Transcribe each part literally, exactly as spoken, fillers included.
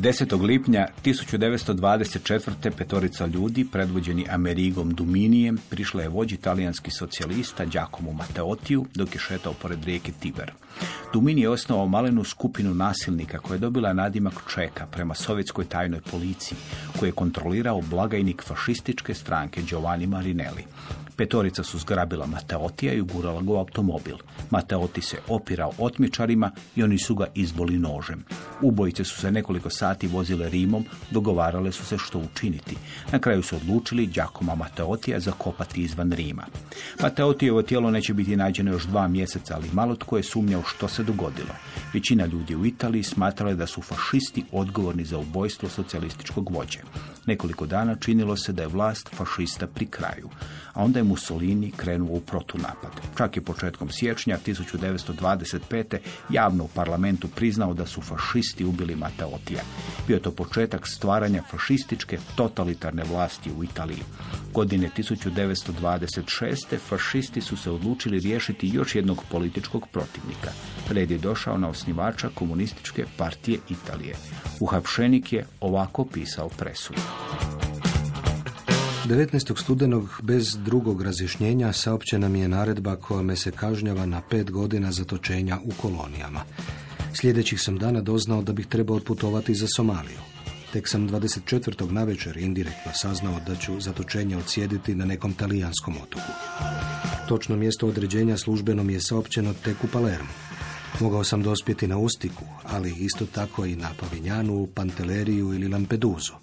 desetog lipnja tisuću devetsto dvadeset četvrte. petorica ljudi, predvođeni Amerigom Duminijem, prišla je vođi talijanskih socijalista Giacomo Matteottiju dok je šetao pored rijeke Tiber. Dumini je osnovao malenu skupinu nasilnika koja je dobila nadimak Čeka prema sovjetskoj tajnoj policiji, koju je kontrolirao blagajnik fašističke stranke Giovanni Marinelli. Petorica su zgrabila Matteottija i ugurala ga u automobil. Matteotti se opirao otmičarima i oni su ga izboli nožem. Ubojice su se nekoliko sati vozile Rimom, dogovarale su se što učiniti. Na kraju su odlučili Giacomo Matteottija zakopati izvan Rima. Matteottijevo tijelo neće biti nađeno još dva mjeseca, ali malo tko je sumnjao što se dogodilo. Većina ljudi u Italiji smatrala da su fašisti odgovorni za ubojstvo socijalističkog vođe. Nekoliko dana činilo se da je vlast fašista pri kraju, a onda je Mussolini krenuo u protunapad. Čak je početkom siječnja tisuću devetsto dvadeset pete. javno u parlamentu priznao da su fašisti ubili Matteottija. Bio je to početak stvaranja fašističke totalitarne vlasti u Italiji. Godine tisuću devetsto dvadeset šeste. fašisti su se odlučili riješiti još jednog političkog protivnika. Red je došao na osnivača komunističke partije Italije. Uhapšenik je ovako pisao presudu. devetnaestog studenog bez drugog razjašnjenja saopćena mi je naredba kojome se kažnjava na pet godina zatočenja u kolonijama. Sljedećih sam dana doznao da bih trebao otputovati za Somaliju. Tek sam dvadeset četvrtog navečer indirektno saznao da ću zatočenje odsjediti na nekom talijanskom otoku. Točno mjesto određenja službeno mi je saopćeno tek u Palermu. Mogao sam dospjeti na Ustiku, ali isto tako i na Pavinjanu, Pantelleriju ili Lampedusu.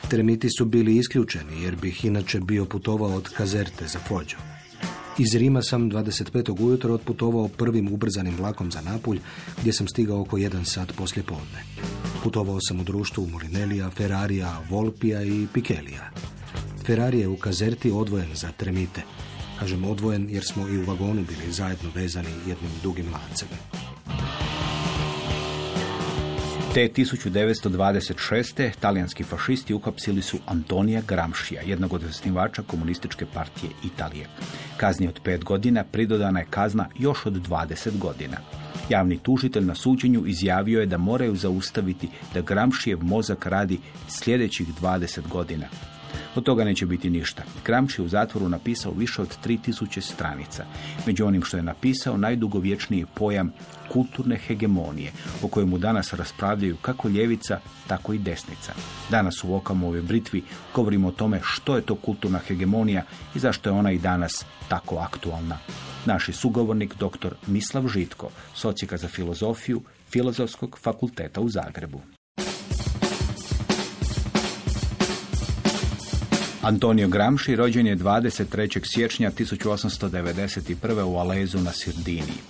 Tremiti su bili isključeni jer bih inače bio putovao od Kazerte za Fođu. Iz Rima sam dvadeset petog ujutro otputovao prvim ubrzanim vlakom za Napulj, gdje sam stigao oko jedan sat poslije podne. Putovao sam u društvu Molinellija, Ferrarija, Volpija i Pikelija. Ferrari je u Kazerti odvojen za Tremite. Kažem odvojen jer smo i u vagonu bili zajedno vezani jednim dugim lancem. Te tisuću devetsto dvadeset šeste. talijanski fašisti uhapsili su Antonija Gramscija, jednog od osnivača komunističke partije Italije. Kazni od pet godina pridodana je kazna još od dvadeset godina. Javni tužitelj na suđenju izjavio je da moraju zaustaviti da Gramscijev mozak radi sljedećih dvadeset godina. Od toga neće biti ništa. Gramsci je u zatvoru napisao više od tri tisuće stranica. Među onim što je napisao, najdugovječniji pojam kulturne hegemonije, o kojemu danas raspravljaju kako ljevica, tako i desnica. Danas u Okamovoj britvi govorimo o tome što je to kulturna hegemonija i zašto je ona i danas tako aktualna. Naš sugovornik dr. Mislav Žitko, socijaka za filozofiju Filozofskog fakulteta u Zagrebu. Antonio Gramsci rođen je dvadeset trećeg siječnja tisuću osamsto devedeset prve. u Alezu na Sardiniji.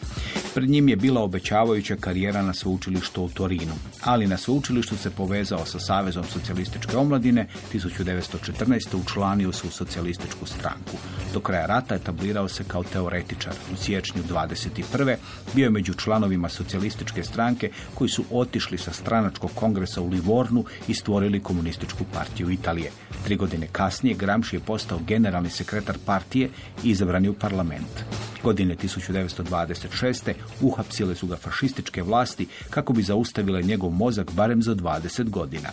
Pred njim je bila obećavajuća karijera na sveučilištu u Torinu, ali na sveučilištu se povezao sa Savezom socijalističke omladine, tisuću devetsto četrnaeste. učlanio se u socijalističku stranku. Do kraja rata etablirao se kao teoretičar. U siječnju dvadeset prve. bio je među članovima socijalističke stranke koji su otišli sa stranačkog kongresa u Livornu i stvorili komunističku partiju Italije. Tri godine kasnije Gramsci je postao generalni sekretar partije i izabran je u parlament. Godine tisuću devetsto dvadeset šeste. uhapsile su ga fašističke vlasti kako bi zaustavile njegov mozak barem za dvadeset godina.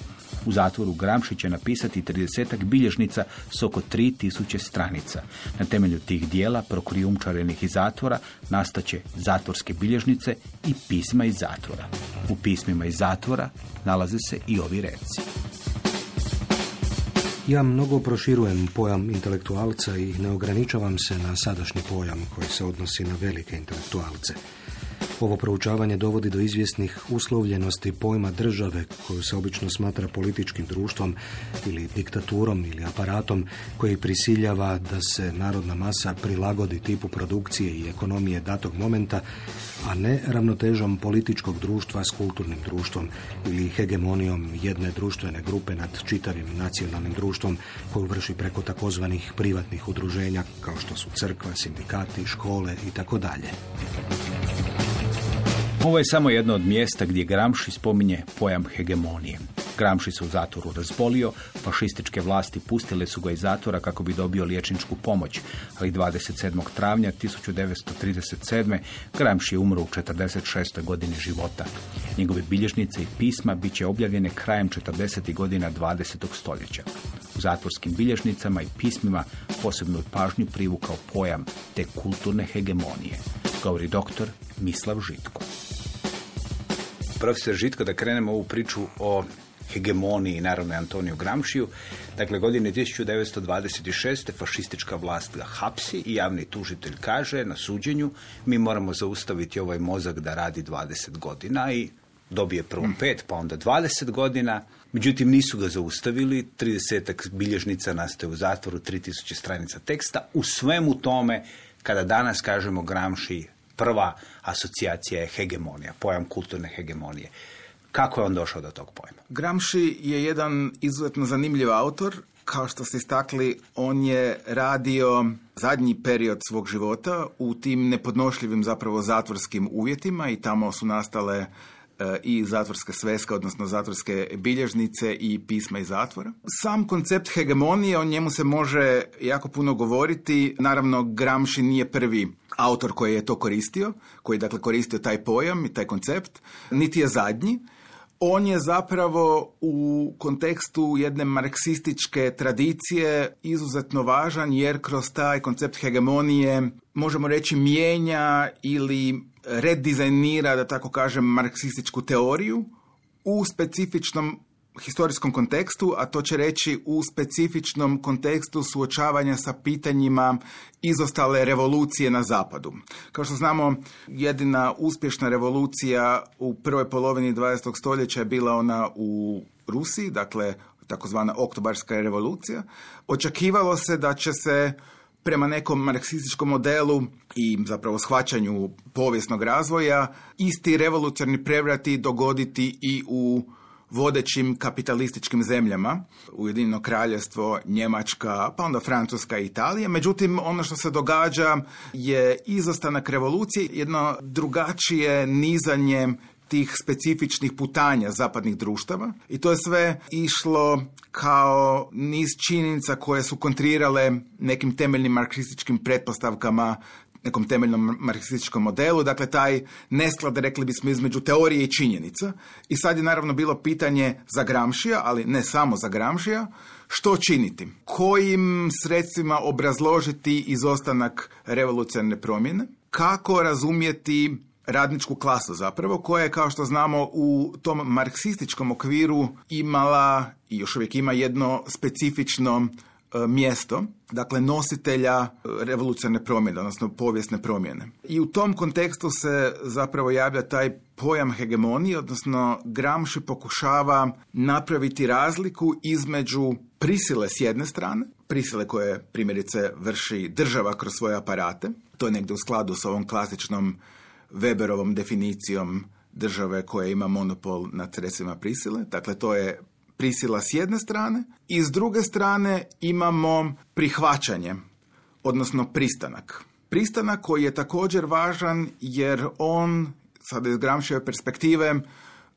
U zatvoru Gramsci će napisati tridesetak bilježnica s oko tri tisuće stranica. Na temelju tih dijela, prokrijumčarenih iz zatvora, nastaće zatvorske bilježnice i pisma iz zatvora. U pismima iz zatvora nalaze se i ovi reci. Ja mnogo proširujem pojam intelektualca i ne ograničavam se na sadašnji pojam koji se odnosi na velike intelektualce. Ovo proučavanje dovodi do izvjesnih uslovljenosti pojma države, koju se obično smatra političkim društvom ili diktaturom ili aparatom koji prisiljava da se narodna masa prilagodi tipu produkcije i ekonomije datog momenta, a ne ravnotežom političkog društva s kulturnim društvom ili hegemonijom jedne društvene grupe nad čitavim nacionalnim društvom koju vrši preko takozvanih privatnih udruženja kao što su crkva, sindikati, škole i tako dalje. Ovo je samo jedno od mjesta gdje Gramsci spominje pojam hegemonije. Gramsci se u zatvoru razbolio, fašističke vlasti pustile su ga iz zatvora kako bi dobio liječničku pomoć, ali dvadeset sedmog travnja tisuću devetsto trideset sedme. Gramsci je umro u četrdeset šestoj godini života. Njegove bilježnice i pisma bit će objavljene krajem četrdesetih godina dvadesetog stoljeća. U zatvorskim bilježnicama i pismima posebnu pažnju privukao pojam te kulturne hegemonije, govori doktor Mislav Žitko. Profesor Žitko, da krenemo ovu priču o hegemoniji, naravno Antoniju Gramsciju. Dakle, godine tisuću devetsto dvadeset šeste. fašistička vlast ga hapsi i javni tužitelj kaže na suđenju: mi moramo zaustaviti ovaj mozak da radi dvadeset godina, i dobije prvo pet, pa onda dvadeset godina. Međutim, nisu ga zaustavili, tridesetak bilježnica nastaje u zatvoru, tri tisuće stranica teksta. U svemu tome, kada danas kažemo Gramsci, prva asocijacija je hegemonija, pojam kulturne hegemonije. Kako je on došao do tog pojma? Gramsci je jedan izuzetno zanimljiv autor. Kao što ste istakli, on je radio zadnji period svog života u tim nepodnošljivim zapravo zatvorskim uvjetima, i tamo su nastale i zatvorske sveske, odnosno zatvorske bilježnice i pisma iz zatvora. Sam koncept hegemonije, o njemu se može jako puno govoriti. Naravno, Gramsci nije prvi autor koji je to koristio, koji je dakle koristio taj pojam i taj koncept, niti je zadnji. On je zapravo u kontekstu jedne marksističke tradicije izuzetno važan, jer kroz taj koncept hegemonije, možemo reći, mijenja ili redizajnira, da tako kažem, marksističku teoriju u specifičnom historijskom kontekstu, a to će reći u specifičnom kontekstu suočavanja sa pitanjima izostale revolucije na zapadu. Kao što znamo, jedina uspješna revolucija u prvoj polovini dvadesetog stoljeća je bila ona u Rusiji, dakle takozvana oktobarska revolucija. Očekivalo se da će se prema nekom marksističkom modelu i zapravo shvaćanju povijesnog razvoja isti revolucionarni prevrati dogoditi i u vodećim kapitalističkim zemljama, Ujedinjeno Kraljevstvo, Njemačka, pa onda Francuska i Italija. Međutim, ono što se događa je izostanak revolucije, jedno drugačije nizanje tih specifičnih putanja zapadnih društava, i to je sve išlo kao niz činjenica koje su kontrirale nekim temeljnim marksističkim pretpostavkama, nekom temeljnom marksističkom modelu, dakle taj nesklad, rekli bismo, između teorije i činjenica. I sad je naravno bilo pitanje za Gramscija, ali ne samo za Gramscija, što činiti? Kojim sredstvima obrazložiti izostanak revolucionarne promjene? Kako razumjeti radničku klasu zapravo, koja je, kao što znamo, u tom marksističkom okviru imala i još uvijek ima jedno specifično mjesto, dakle nositelja revolucionarne promjene, odnosno povijesne promjene. I u tom kontekstu se zapravo javlja taj pojam hegemonije, odnosno Gramsci pokušava napraviti razliku između prisile s jedne strane, prisile koje primjerice vrši država kroz svoje aparate, to je negdje u skladu s ovom klasičnom Weberovom definicijom države koja ima monopol nad sredstvima prisile, dakle to je prisila s jedne strane, i s druge strane imamo prihvaćanje, odnosno pristanak. Pristanak koji je također važan jer on, sada iz Gramscijeve perspektive,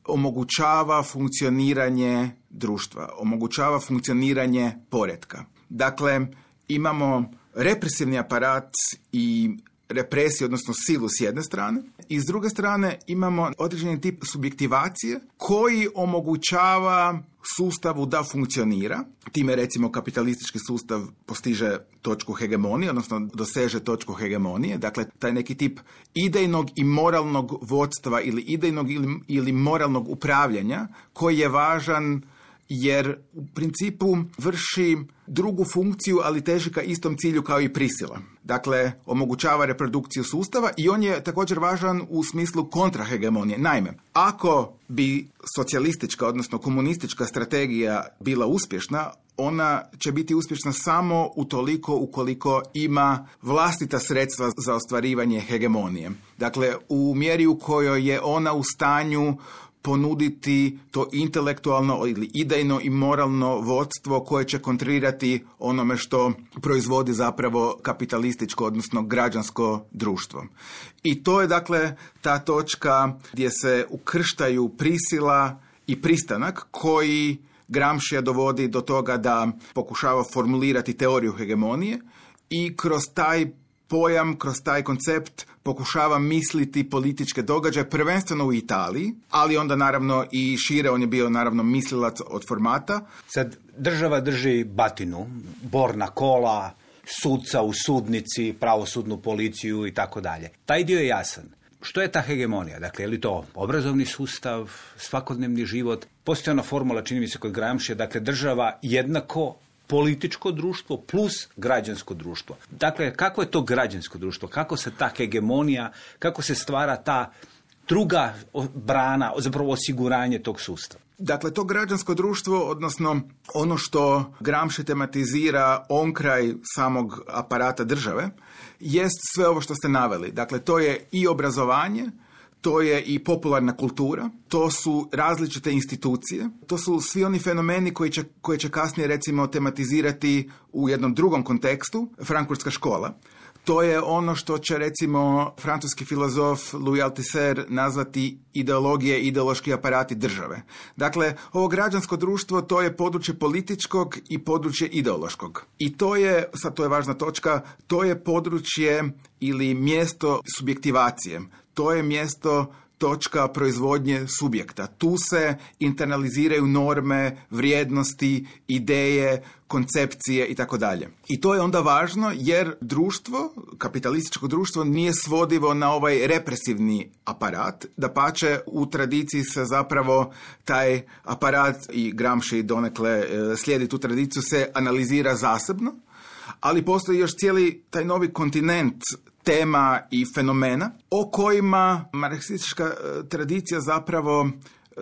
omogućava funkcioniranje društva, omogućava funkcioniranje poretka. Dakle, imamo represivni aparat i represiju, odnosno silu s jedne strane, i s druge strane imamo određeni tip subjektivacije koji omogućava sustavu da funkcionira. Time, recimo, kapitalistički sustav postiže točku hegemonije, odnosno doseže točku hegemonije. Dakle, taj neki tip idejnog i moralnog vodstva ili idejnog ili, ili moralnog upravljanja koji je važan jer u principu vrši drugu funkciju, ali teži ka istom cilju kao i prisila. Dakle, omogućava reprodukciju sustava i on je također važan u smislu kontrahegemonije. Naime, ako bi socijalistička, odnosno komunistička strategija bila uspješna, ona će biti uspješna samo utoliko ukoliko ima vlastita sredstva za ostvarivanje hegemonije. Dakle, u mjeri u kojoj je ona u stanju ponuditi to intelektualno ili idejno i moralno vodstvo koje će kontrirati onome što proizvodi zapravo kapitalističko, odnosno građansko društvo. I to je dakle ta točka gdje se ukrštaju prisila i pristanak koji Gramscija dovodi do toga da pokušava formulirati teoriju hegemonije i kroz taj pojam, kroz taj koncept pokušava misliti političke događaje, prvenstveno u Italiji, ali onda naravno i šire, on je bio naravno mislilac od formata. Sad država drži batinu, borna kola, sudca u sudnici, pravosudnu policiju i tako dalje. Taj dio je jasan. Što je ta hegemonija? Dakle, je li to obrazovni sustav, svakodnevni život? Postoji ona formula, čini mi se kod Gramscija, dakle, država jednako političko društvo plus građansko društvo. Dakle, kako je to građansko društvo? Kako se ta hegemonija, kako se stvara ta druga brana, zapravo osiguranje tog sustava? Dakle, to građansko društvo, odnosno ono što Gramsci tematizira onkraj samog aparata države, jest sve ovo što ste naveli. Dakle, to je i obrazovanje, to je i popularna kultura, to su različite institucije, to su svi oni fenomeni koji će, koji će kasnije recimo tematizirati u jednom drugom kontekstu, Frankfurtska škola. To je ono što će recimo francuski filozof Louis Althusser nazvati ideologije, ideološki aparati države. Dakle, ovo građansko društvo to je područje političkog i područje ideološkog. I to je, sad to je važna točka, to je područje ili mjesto subjektivacije. To je mjesto točka proizvodnje subjekta. Tu se internaliziraju norme, vrijednosti, ideje, koncepcije i tako dalje. I to je onda važno jer društvo, kapitalističko društvo, nije svodivo na ovaj represivni aparat. Dapače, u tradiciji se zapravo taj aparat, i Gramsci donekle slijedi tu tradiciju, se analizira zasebno, ali postoji još cijeli taj novi kontinent tema i fenomena o kojima marksistička tradicija zapravo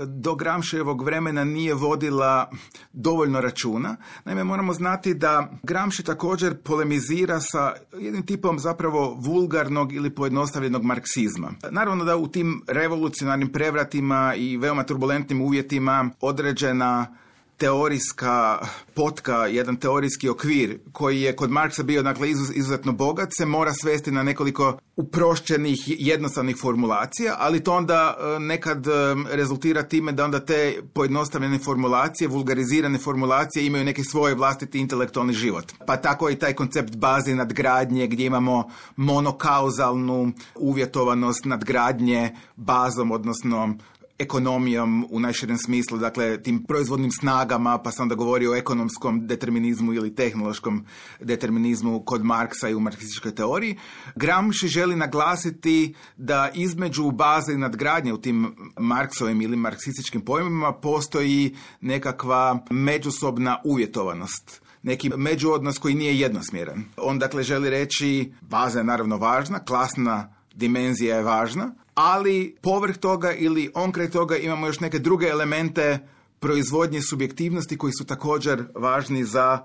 do Gramscijevog vremena nije vodila dovoljno računa. Naime, moramo znati da Gramsci također polemizira sa jednim tipom zapravo vulgarnog ili pojednostavljenog marksizma. Naravno da u tim revolucionarnim prevratima i veoma turbulentnim uvjetima određena teorijska potka, jedan teorijski okvir koji je kod Marksa bio dakle, izuzetno bogat, se mora svesti na nekoliko uprošćenih, jednostavnih formulacija, ali to onda nekad rezultira time da onda te pojednostavljene formulacije, vulgarizirane formulacije imaju neki svoj vlastiti intelektualni život. Pa tako i taj koncept baze nadgradnje gdje imamo monokauzalnu uvjetovanost nadgradnje bazom, odnosno ekonomijom u najširem smislu, dakle tim proizvodnim snagama, pa sam onda govorio o ekonomskom determinizmu ili tehnološkom determinizmu kod Marksa i u marksističkoj teoriji. Gramsci želi naglasiti da između baze i nadgradnje u tim Marksovim ili marksističkim pojmima postoji nekakva međusobna uvjetovanost. Neki međuodnos koji nije jednosmjeran. On dakle želi reći, baza je naravno važna, klasna dimenzija je važna, ali povrh toga ili onkraj toga imamo još neke druge elemente proizvodnje subjektivnosti koji su također važni za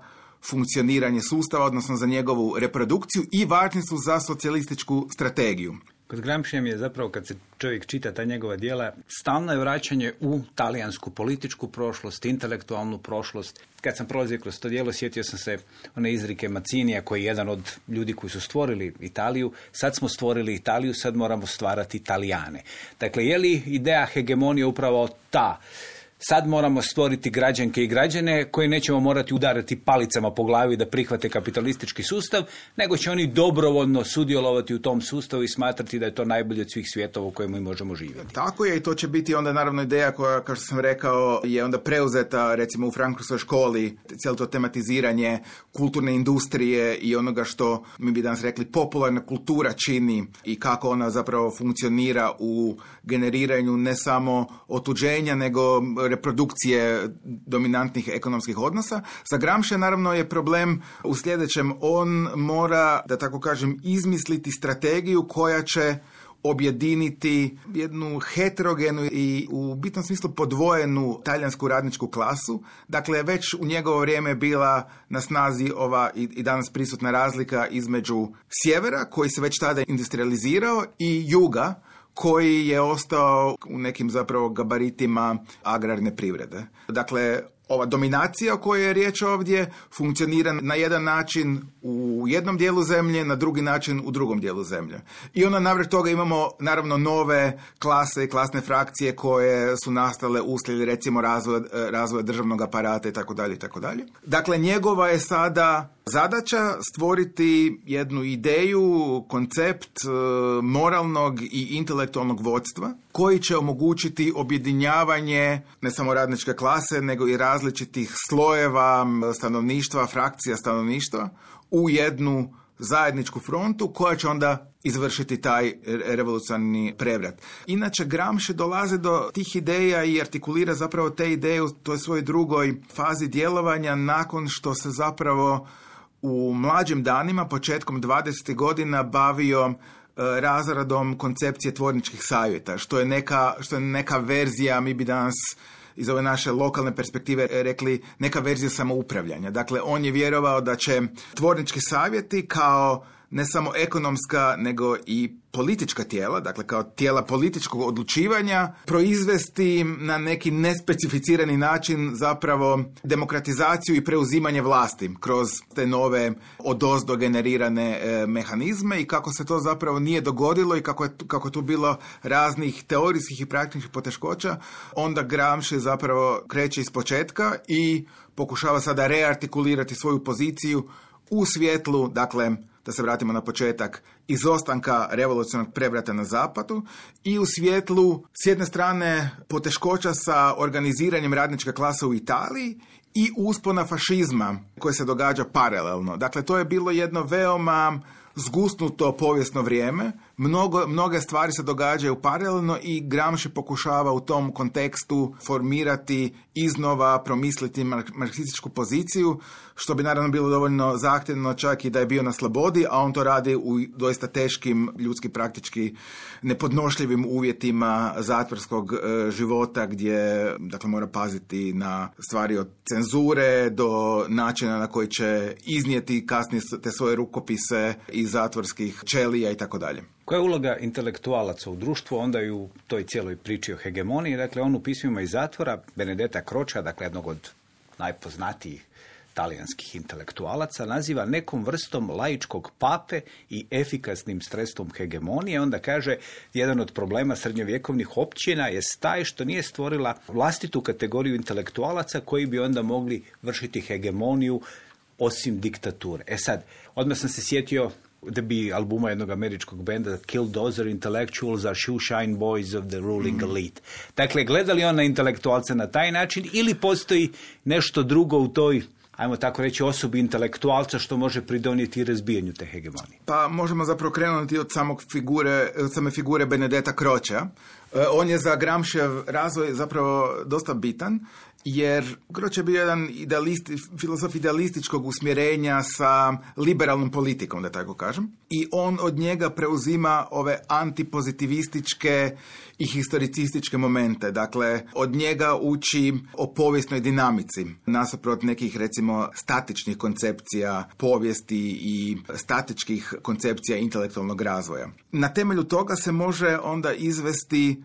funkcioniranje sustava, odnosno za njegovu reprodukciju i važni su za socijalističku strategiju. Kod Gramscija je zapravo, kad se čovjek čita ta njegova djela, stalno je vraćanje u talijansku političku prošlost, intelektualnu prošlost. Kad sam prolazio kroz to djelo, sjetio sam se one izrike Macinija, koji je jedan od ljudi koji su stvorili Italiju. Sad smo stvorili Italiju, sad moramo stvarati Italijane. Dakle, je li ideja hegemonije upravo ta? Sad moramo stvoriti građanke i građane koji nećemo morati udarati palicama po glavi da prihvate kapitalistički sustav, nego će oni dobrovoljno sudjelovati u tom sustavu i smatrati da je to najbolje od svih svjetova u kojima mi možemo živjeti. Tako je, i to će biti onda naravno ideja koja, kao što sam rekao, je onda preuzeta recimo u Frankfurtskoj školi, cijelo to tematiziranje kulturne industrije i onoga što mi bi danas rekli popularna kultura čini i kako ona zapravo funkcionira u generiranju ne samo otuđenja, nego reprodukcije dominantnih ekonomskih odnosa. Za Gramscija naravno je problem u sljedećem. On mora, da tako kažem, izmisliti strategiju koja će objediniti jednu heterogenu i u bitnom smislu podvojenu talijansku radničku klasu. Dakle, već u njegovo vrijeme je bila na snazi ova i, i danas prisutna razlika između sjevera, koji se već tada industrializirao, i juga, koji je ostao u nekim zapravo gabaritima agrarne privrede. Dakle, ova dominacija o kojoj je riječ ovdje funkcionira na jedan način u jednom dijelu zemlje, na drugi način u drugom dijelu zemlje. I onda navrh toga imamo naravno nove klase i klasne frakcije koje su nastale uslijed recimo razvoja, razvoja državnog aparata i tako dalje i tako dalje. Dakle, njegova je sada zadaća stvoriti jednu ideju, koncept moralnog i intelektualnog vodstva koji će omogućiti objedinjavanje ne samo radničke klase, nego i različitih slojeva stanovništva, frakcija stanovništva u jednu zajedničku frontu koja će onda izvršiti taj revolucionarni prevrat. Inače, Gramsci dolazi do tih ideja i artikulira zapravo te ideje u toj svojoj drugoj fazi djelovanja nakon što se zapravo u mlađim danima, početkom dvadesetih godina, bavio razradom koncepcije tvorničkih savjeta, što je neka, što je neka verzija, mi bi danas iz ove naše lokalne perspektive rekli, neka verzija samoupravljanja. Dakle, on je vjerovao da će tvornički savjeti kao ne samo ekonomska, nego i politička tijela, dakle kao tijela političkog odlučivanja, proizvesti na neki nespecificirani način zapravo demokratizaciju i preuzimanje vlasti kroz te nove odozdo generirane e, mehanizme i kako se to zapravo nije dogodilo i kako je, kako je tu bilo raznih teorijskih i praktičnih poteškoća, onda Gramsci zapravo kreće iz početka i pokušava sada reartikulirati svoju poziciju u svjetlu, dakle, da se vratimo na početak, izostanka revolucionarnog prevrata na zapadu i u svjetlu, s jedne strane, poteškoća sa organiziranjem radničke klase u Italiji i uspona fašizma koje se događa paralelno. Dakle, to je bilo jedno veoma zgusnuto povijesno vrijeme. Mnogo, mnoge stvari se događaju paralelno i Gramsci pokušava u tom kontekstu formirati iznova, promisliti marksističku poziciju, što bi naravno bilo dovoljno zahtjevno čak i da je bio na slobodi, a on to radi u doista teškim, ljudski praktički nepodnošljivim uvjetima zatvorskog e, života gdje dakle, mora paziti na stvari od cenzure do načina na koji će iznijeti kasnije te svoje rukopise iz zatvorskih ćelija i tako dalje. Koja je uloga intelektualaca u društvu, onda i u toj cijeloj priči o hegemoniji? Dakle, on u pismima iz zatvora Benedetta Croce, dakle jednog od najpoznatijih talijanskih intelektualaca, naziva nekom vrstom laičkog pape i efikasnim sredstvom hegemonije. Onda kaže, jedan od problema srednjovjekovnih općina je taj što nije stvorila vlastitu kategoriju intelektualaca koji bi onda mogli vršiti hegemoniju osim diktature. E sad, odmah sam se sjetio debi albuma jednog američkog benda Killdozer, Intellectuals are shoeshine boys of the ruling mm. elite. Dakle, gleda li on na intelektualce na taj način ili postoji nešto drugo u toj, ajmo tako reći, osobi intelektualca što može pridonijeti razbijanju te hegemonije? Pa možemo zapravo krenuti od samog figure, od same figure Benedetta Crocea. On je za Gramscijev razvoj zapravo dosta bitan, jer Croce je bio jedan idealist, filozof idealističkog usmjerenja sa liberalnom politikom, da tako kažem. I on od njega preuzima ove antipozitivističke i historicističke momente. Dakle, od njega uči o povijesnoj dinamici, nasuprot nekih, recimo, statičnih koncepcija povijesti i statičkih koncepcija intelektualnog razvoja. Na temelju toga se može onda izvesti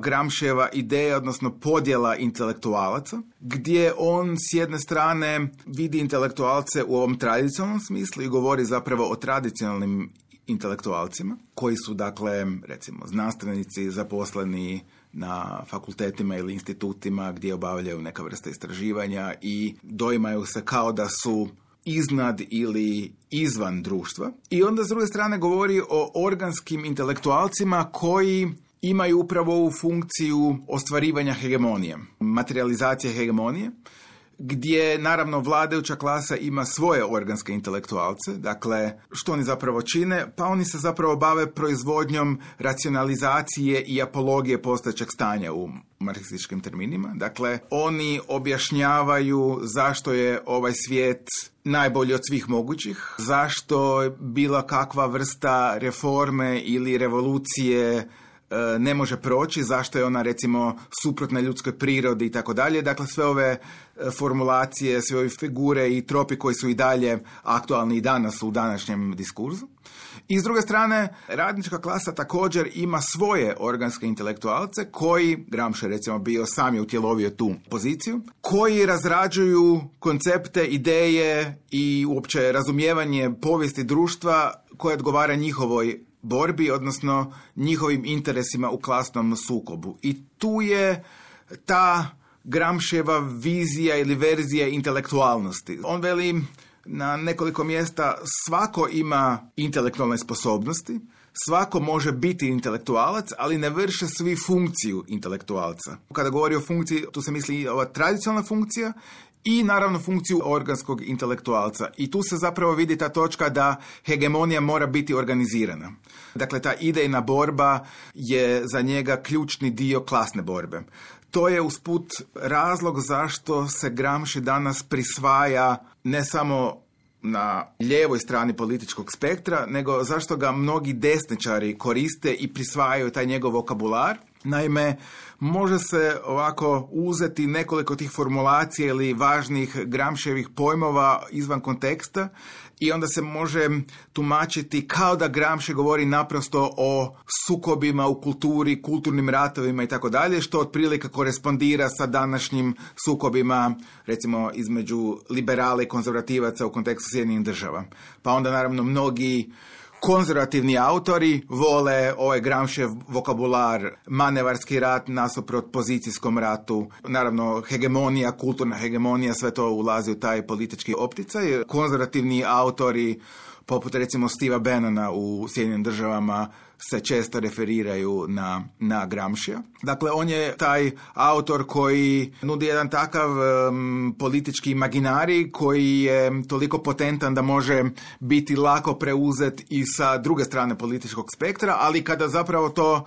Gramscijeva ideja, odnosno podjela intelektualaca, gdje on s jedne strane vidi intelektualce u ovom tradicionalnom smislu i govori zapravo o tradicionalnim intelektualcima, koji su, dakle, recimo, znanstvenici zaposleni na fakultetima ili institutima gdje obavljaju neka vrsta istraživanja i doimaju se kao da su iznad ili izvan društva. I onda s druge strane govori o organskim intelektualcima koji imaju upravo ovu funkciju ostvarivanja hegemonije, materializacije hegemonije, gdje naravno vladajuća klasa ima svoje organske intelektualce. Dakle, što oni zapravo čine? Pa oni se zapravo bave proizvodnjom racionalizacije i apologije postojećeg stanja u marksističkim terminima. Dakle, oni objašnjavaju zašto je ovaj svijet najbolji od svih mogućih, zašto bila kakva vrsta reforme ili revolucije ne može proći, zašto je ona recimo suprotna ljudskoj prirodi i tako dalje. Dakle, sve ove formulacije, sve ove figure i tropi koji su i dalje aktualni i danas u današnjem diskursu. I s druge strane, radnička klasa također ima svoje organske intelektualce koji, Gramsci recimo bio sam je utjelovio tu poziciju, koji razrađuju koncepte, ideje i uopće razumijevanje povijesti društva koje odgovara njihovoj borbi, odnosno njihovim interesima u klasnom sukobu. I tu je ta Gramscijeva vizija ili verzija intelektualnosti. On veli na nekoliko mjesta svako ima intelektualne sposobnosti, svako može biti intelektualac, ali ne vrše svi funkciju intelektualca. Kada govori o funkciji, tu se misli ova tradicionalna funkcija i naravno funkciju organskog intelektualca. I tu se zapravo vidi ta točka da hegemonija mora biti organizirana. Dakle, ta idejna borba je za njega ključni dio klasne borbe. To je usput razlog zašto se Gramsci danas prisvaja ne samo na lijevoj strani političkog spektra, nego zašto ga mnogi desničari koriste i prisvajaju taj njegov vokabular. Naime, može se ovako uzeti nekoliko tih formulacija ili važnih Gramscijevih pojmova izvan konteksta i onda se može tumačiti kao da Gramsci govori naprosto o sukobima u kulturi, kulturnim ratovima i tako dalje, što otprilike korespondira sa današnjim sukobima, recimo između liberala i konzervativaca u kontekstu Sjedinjenih država. Pa onda naravno mnogi konzervativni autori vole ovaj Gramscijev vokabular, manevarski rat nasuprot pozicijskom ratu, naravno hegemonija, kulturna hegemonija, sve to ulazi u taj politički opticaj. Konzervativni autori, poput recimo Steva Bannona u Sjedinjenim državama, se često referiraju na, na Gramscija. Dakle, on je taj autor koji nudi jedan takav um, politički imaginarij koji je toliko potentan da može biti lako preuzet i sa druge strane političkog spektra, ali kada zapravo to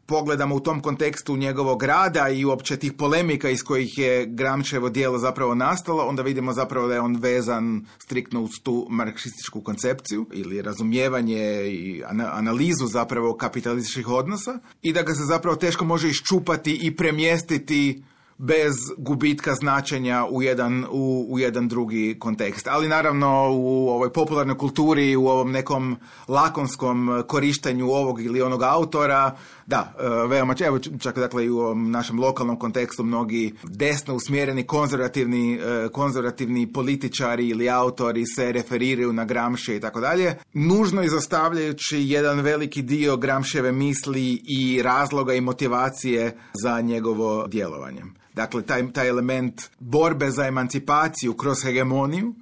pogledamo u tom kontekstu njegovog rada i uopće tih polemika iz kojih je Gramscijevo djelo zapravo nastalo, onda vidimo zapravo da je on vezan striktno uz tu marksističku koncepciju ili razumijevanje i analizu zapravo kapitalističkih odnosa i da ga se zapravo teško može iščupati i premjestiti bez gubitka značenja u jedan, u, u jedan drugi kontekst. Ali naravno u ovoj popularnoj kulturi, u ovom nekom lakonskom korištenju ovog ili onog autora, da, veoma, evo čak dakle i u ovom našem lokalnom kontekstu mnogi desno usmjereni konzervativni, konzervativni političari ili autori se referiraju na Gramscija i tako dalje, nužno izostavljajući jedan veliki dio Gramscijeve misli i razloga i motivacije za njegovo djelovanje. Dakle, taj, taj element borbe za emancipaciju kroz hegemoniju,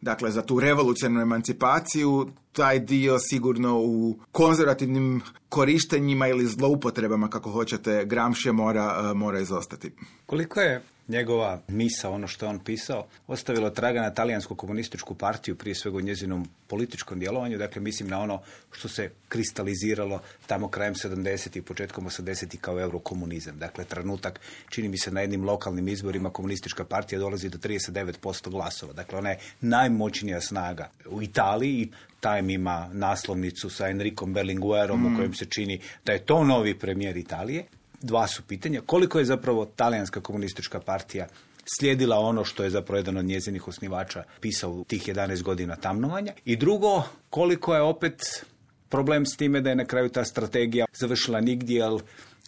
dakle za tu revolucionarnu emancipaciju, taj dio sigurno u konzervativnim korištenjima ili zloupotrebama, kako hoćete, Gramscija mora, mora izostati. Koliko je njegova misa, ono što je on pisao, ostavilo traga na talijansku komunističku partiju, prije svega u njezinom političkom djelovanju, dakle mislim na ono što se kristaliziralo tamo krajem sedamdesetih i početkom osamdesetih kao eurokomunizam. Dakle, trenutak, čini mi se na jednim lokalnim izborima komunistička partija dolazi do trideset devet posto glasova. Dakle, ona je najmoćnija snaga u Italiji i Time ima naslovnicu sa Enricom Berlinguerom mm. u kojem se čini da je to novi premijer Italije. Dva su pitanja. Koliko je zapravo talijanska komunistička partija slijedila ono što je zapravo jedan od njezinih osnivača pisao u tih jedanaest godina tamnovanja? I drugo, koliko je opet problem s time da je na kraju ta strategija završila nigdje, jer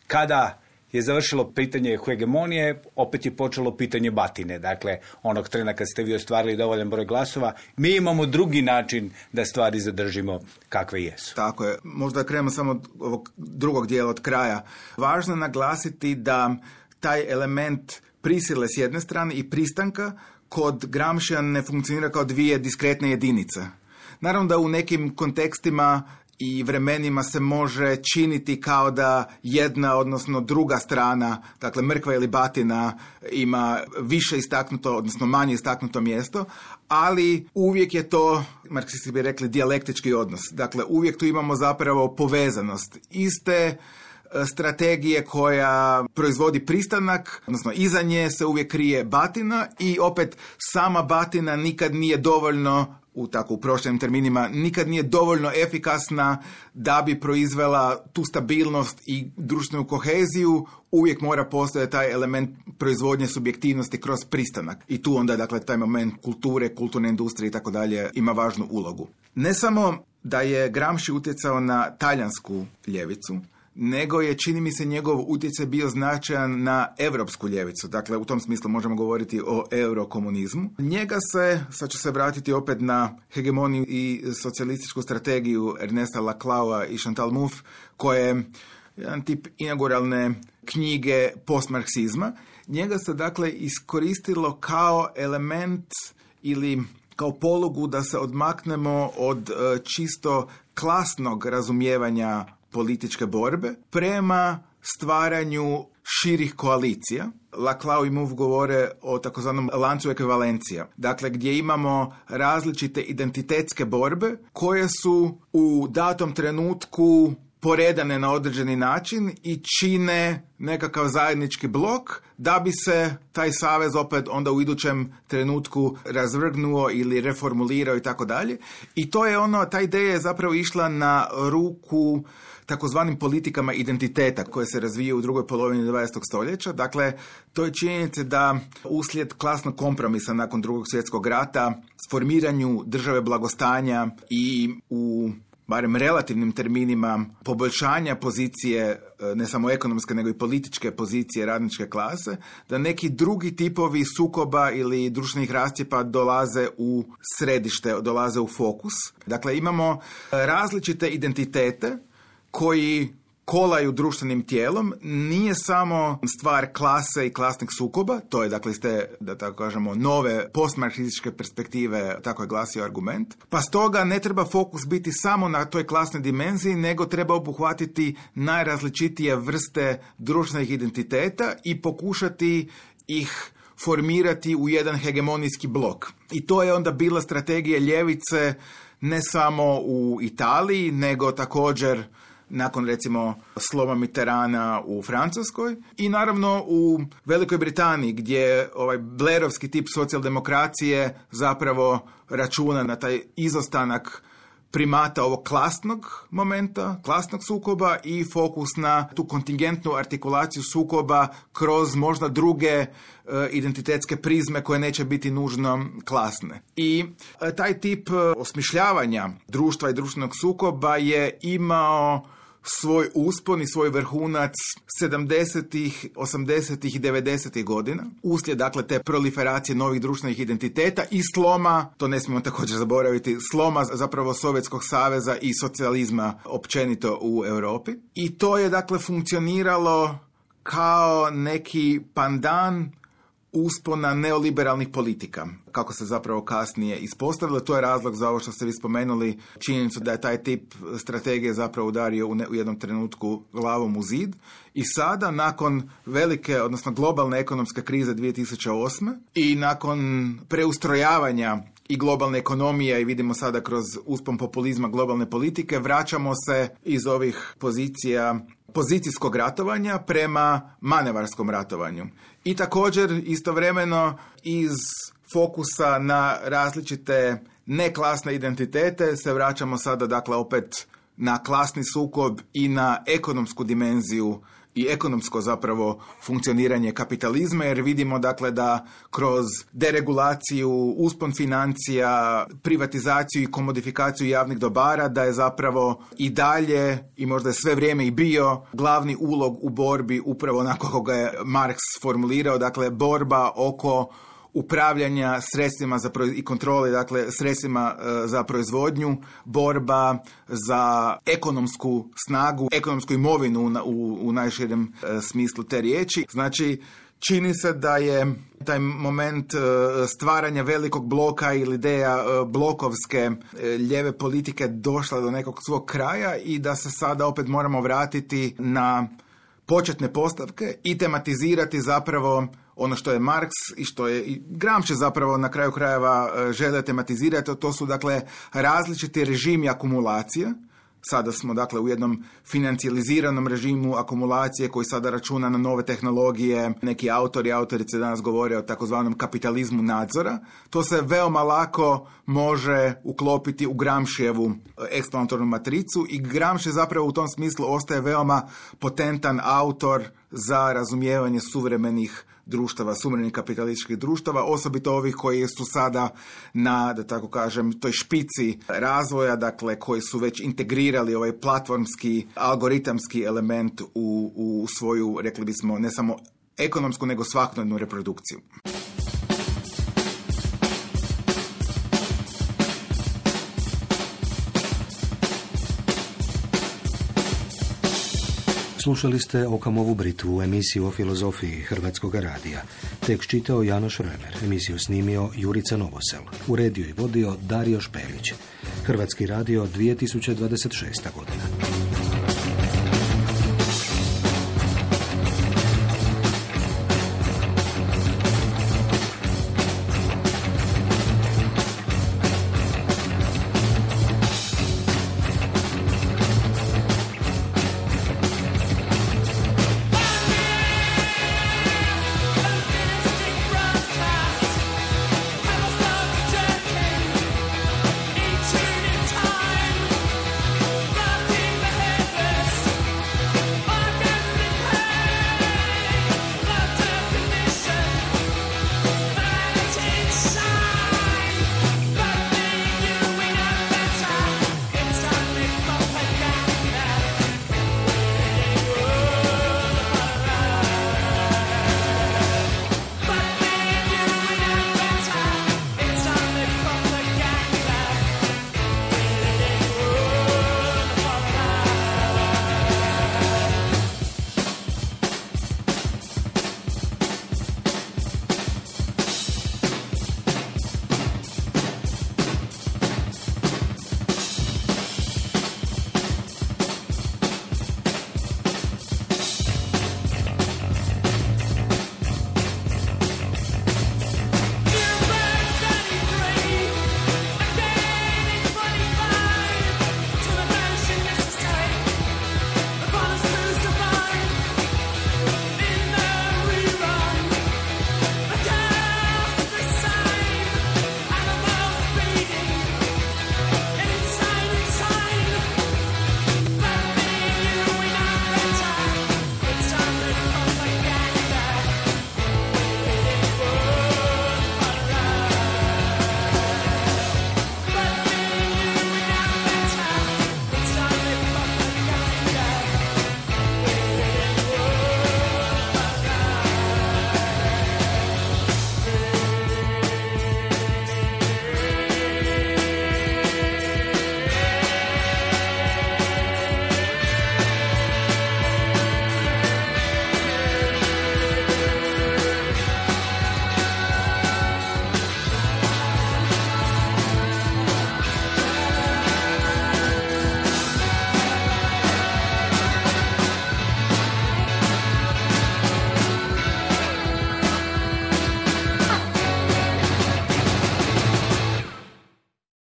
kada je završilo pitanje hegemonije, opet je počelo pitanje batine. Dakle, onog trena kad ste vi ostvarili dovoljan broj glasova, mi imamo drugi način da stvari zadržimo kakve jesu. Tako je. Možda krenemo samo od ovog drugog dijela od kraja. Važno je naglasiti da taj element prisile s jedne strane i pristanka kod Gramscija ne funkcionira kao dvije diskretne jedinice. Naravno da u nekim kontekstima i vremenima se može činiti kao da jedna, odnosno druga strana, dakle mrkva ili batina, ima više istaknuto, odnosno manje istaknuto mjesto, ali uvijek je to, marksisti bi rekli, dijalektički odnos. Dakle, uvijek tu imamo zapravo povezanost iste strategije koja proizvodi pristanak, odnosno iza nje se uvijek krije batina i opet sama batina nikad nije dovoljno u tako u prošlim terminima, nikad nije dovoljno efikasna da bi proizvela tu stabilnost i društvenu koheziju, uvijek mora postojati taj element proizvodnje subjektivnosti kroz pristanak. I tu onda, dakle, taj moment kulture, kulturne industrije i tako dalje ima važnu ulogu. Ne samo da je Gramsci utjecao na talijansku ljevicu, nego je, čini mi se, njegov utjecaj bio značajan na europsku ljevicu. Dakle, u tom smislu možemo govoriti o eurokomunizmu. Njega se, sad ću se vratiti opet na hegemoniju i socijalističku strategiju Ernesta Laclaua i Chantal Mouffe, koje je jedan tip inauguralne knjige postmarksizma. Njega se, dakle, iskoristilo kao element ili kao polugu da se odmaknemo od uh, čisto klasnog razumijevanja političke borbe prema stvaranju širih koalicija. Laclau i Mouffe govore o takozvanom lancu ekvivalencija. Dakle, gdje imamo različite identitetske borbe koje su u datom trenutku poredane na određeni način i čine nekakav zajednički blok da bi se taj savez opet onda u idućem trenutku razvrgnuo ili reformulirao i tako dalje. I to je ono, ta ideja je zapravo išla na ruku takozvanim politikama identiteta koje se razvijaju u drugoj polovini dvadesetog stoljeća. Dakle, to je činjenica da uslijed klasnog kompromisa nakon drugog svjetskog rata, formiranju države blagostanja i u barem relativnim terminima poboljšanja pozicije, ne samo ekonomske, nego i političke pozicije radničke klase, da neki drugi tipovi sukoba ili društvenih rascjepa dolaze u središte, dolaze u fokus. Dakle, imamo različite identitete koji kolaju društvenim tijelom. Nije samo stvar klase i klasnih sukoba, to je, dakle, iz te, da tako kažemo, nove postmarksističke perspektive, tako je glasio argument. Pa stoga ne treba fokus biti samo na toj klasnoj dimenziji, nego treba obuhvatiti najrazličitije vrste društvenih identiteta i pokušati ih formirati u jedan hegemonijski blok. I to je onda bila strategija ljevice ne samo u Italiji, nego također nakon, recimo, sloma Mitterranda u Francuskoj i naravno u Velikoj Britaniji, gdje ovaj Blairovski tip socijaldemokracije zapravo računa na taj izostanak primata ovog klasnog momenta, klasnog sukoba i fokus na tu kontingentnu artikulaciju sukoba kroz možda druge e, identitetske prizme koje neće biti nužno klasne. I e, taj tip osmišljavanja društva i društvenog sukoba je imao svoj uspon i svoj vrhunac sedamdesetih, osamdesetih i devedesetih godina. Uslijed, dakle, te proliferacije novih društvenih identiteta i sloma, to ne smijemo također zaboraviti, sloma zapravo Sovjetskog saveza i socijalizma općenito u Europi. I to je, dakle, funkcioniralo kao neki pandan uspona neoliberalnih politika, kako se zapravo kasnije ispostavilo. To je razlog za ovo što ste vi spomenuli, činjenicu da je taj tip strategije zapravo udario u, ne, u jednom trenutku glavom u zid. I sada, nakon velike, odnosno globalne ekonomske krize dvije tisuće osme i nakon preustrojavanja i globalne ekonomije, i vidimo sada kroz uspon populizma globalne politike, vraćamo se iz ovih pozicija pozicijskog ratovanja prema manevarskom ratovanju. I također istovremeno iz fokusa na različite neklasne identitete se vraćamo sada, dakle, opet na klasni sukob i na ekonomsku dimenziju i ekonomsko zapravo funkcioniranje kapitalizma, jer vidimo, dakle, da kroz deregulaciju, uspon financija, privatizaciju i komodifikaciju javnih dobara, da je zapravo i dalje, i možda je sve vrijeme i bio, glavni ulog u borbi upravo onako kako ga je Marx formulirao, dakle, borba oko upravljanja sredstvima za proiz- i kontrole, dakle, sredstvima e, za proizvodnju, borba za ekonomsku snagu, ekonomsku imovinu na, u, u najširem e, smislu te riječi. Znači, čini se da je taj moment e, stvaranja velikog bloka ili ideja e, blokovske e, lijeve politike došla do nekog svog kraja i da se sada opet moramo vratiti na početne postavke i tematizirati zapravo ono što je Marx i što je i Gramsci zapravo na kraju krajeva žele tematizirati, to su, dakle, različiti režimi akumulacije, Sada smo dakle u jednom financijaliziranom režimu akumulacije koji sada računa na nove tehnologije. Neki autori, autorice danas govore o takozvanom kapitalizmu nadzora. To se veoma lako može uklopiti u Gramscijevu eksplanatornu matricu i Gramsci zapravo u tom smislu ostaje veoma potentan autor za razumijevanje suvremenih društava, suvremenih kapitalističkih društava, osobito ovih koji su sada na, da tako kažem, toj špici razvoja, dakle koji su već integrirali ovaj platformski, algoritamski element u, u svoju, rekli bismo, ne samo ekonomsku, nego svakodnevnu reprodukciju. Slušali ste Okamovu Britvu, emisiju o filozofiji Hrvatskog radija. Tekst čitao Janoš Remer, emisiju snimio Jurica Novosel, uredio i vodio Dario Špelić. Hrvatski radio dvije tisuće dvadeset šesta godina.